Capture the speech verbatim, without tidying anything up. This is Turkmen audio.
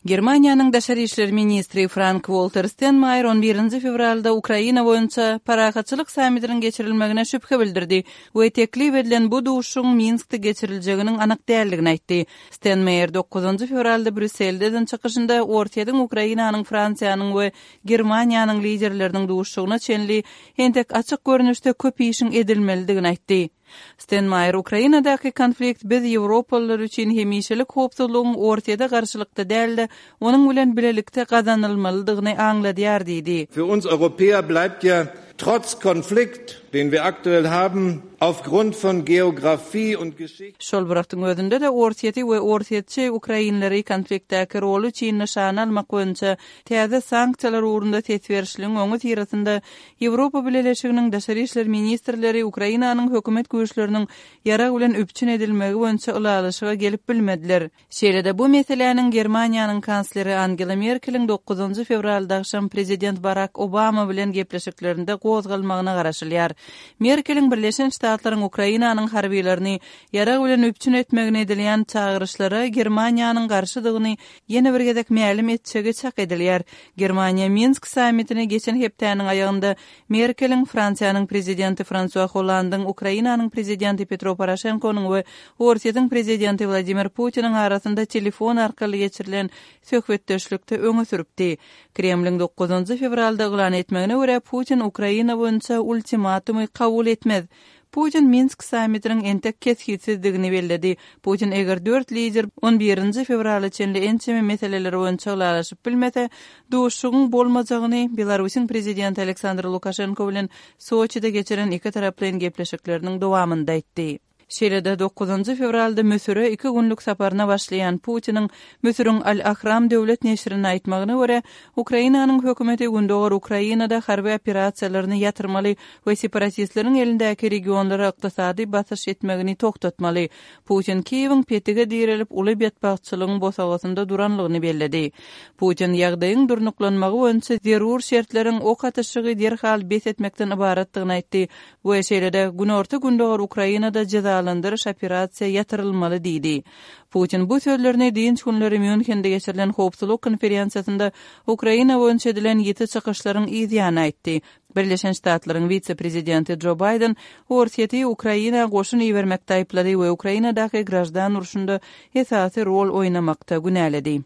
Germaniýanyň daşary işler ministri Frank-Walter Steinmeier on birinji fewralda Ukraina boýunça parahatçylyk sammitiniň geçirilmegine şübhe bildirdi we teklip edilen bu duşuşygyň Minskde geçiriljeginiň anyk däldigini aýtdy. Steinmeier dokuzynjy fewralda Brýusselde eden çykyşynda Orsýetiň Ukrainanyň, Fransiýanyň we Germaniýanyň liderleriniň duşuşygyna çenli entek açyk görnüşde köp işiň edilmelidigini aýtdy. Steinmeier Ukrainadaky konflikt biz ýewropalylar üçin hemişelik howpsuzlygyň Orsýete garşylykda däl-de, onuň bilen bilelikde gazanylmalydygyny aňladýar diýdi. Für uns Europäer bleibt ja trotz Konflikt, den wir aktuell haben, aufgrund von Geografie und Geschichte. Şol bir wagtyň özünde-de Orsýeti we orsýetçi ukrainleri konfliktdäki roly üçin nyşana almak boýunça täze sanksiýalar ugrunda ses berişligiň öňüsyrasynda Ýewropa Bileleşiginiň daşary işler ministrleri Ukrainanyň hökümet güýçleriniň ýarag bilen üpjün edilmegi boýunça ylalaşyga gelip bilmediler. Şeýle-de bu meseläniň Germaniýanyň kansleri Angela Merkeliň dokuzynjy fewralda agşam prezident Barak Obama bilen gepleşiklerinde gozgalmagyna garaşylýar. Merkeliň Birleşen Ştatlaryň Ukrainanyň harbylaryny ýarag bilen üpjün etmegine edilýän çagyryşlara Germaniýanyň garşydygyny ýene bir gezek mälim etjegi çak edilýär. Germaniýa Minsk sammitini geçen hepdäniň aýagynda Merkeliň Fransiýanyň prezidenti Fransua Hollandyň, Ukrainanyň prezidenti Petro Poroşenkonyň we Orsýetiň prezidenti Wladimir Putiniň arasynda telefon arkaly geçirilen söhbetdeşlikde öňe sürüpdi. Kremliň dokuzynjy fewralda yglan etmegine görä, Putin Ukraina boýunça ultimatumy kabul etmez. Putin Minsk sammitiniň entek kesgitsizdigini belledi. Putin eger dört lider on birinji fewrala çenli ençeme meseleler boýunça ylalaşyp bilmese, duşuşygyň bolmajagyny Belarusyň prezidenti Aleksandr Lukaşenko bilen Soçide geçiren iki taraplaýyn gepleşikleriniň dowamynda aýtdy. Şeýle-de dokuzynjy fewralda Müsüre iki günlük saparyna başlaýan Putiniň Müsüriň Al-Ahram döwlet neşirine aýtmagyna görä, Ukrainanyň hökümeti Gündogar Ukrainada harby operasiýalaryny ýatyrmaly we separatistleriň elindäki regionlara ykdysady basyş etmegini togtatmaly. Putin Kiýewiň petige direlip uly betbagtçylygyň bosagasynda duranlygyny belledi. Putin ýagdaýyň durnuklanmagy boýunça zerur şertleriň ok atyşygy derhal bes etmekden ybaratdygyny aýtdy we şeýle-de Günorta-Gündogar Ukrainada jezalandyryş operasiýa ýatyrylmaly diýdi. Putin bu sözlerini dynç günleri Mýunhende geçirilen howpsuzlyk konferensiýasynda Ukraina boýunça edilen ýiti çykyşlaryň yz ýany aýtdy. Birleşen Ştatlaryň wise-prezidenti Jo Baýden Orsýeti Ukraina goşun ibermekde aýyplady we Ukrainadaky graždan urşunda esasy rol oýnamakda günäledi.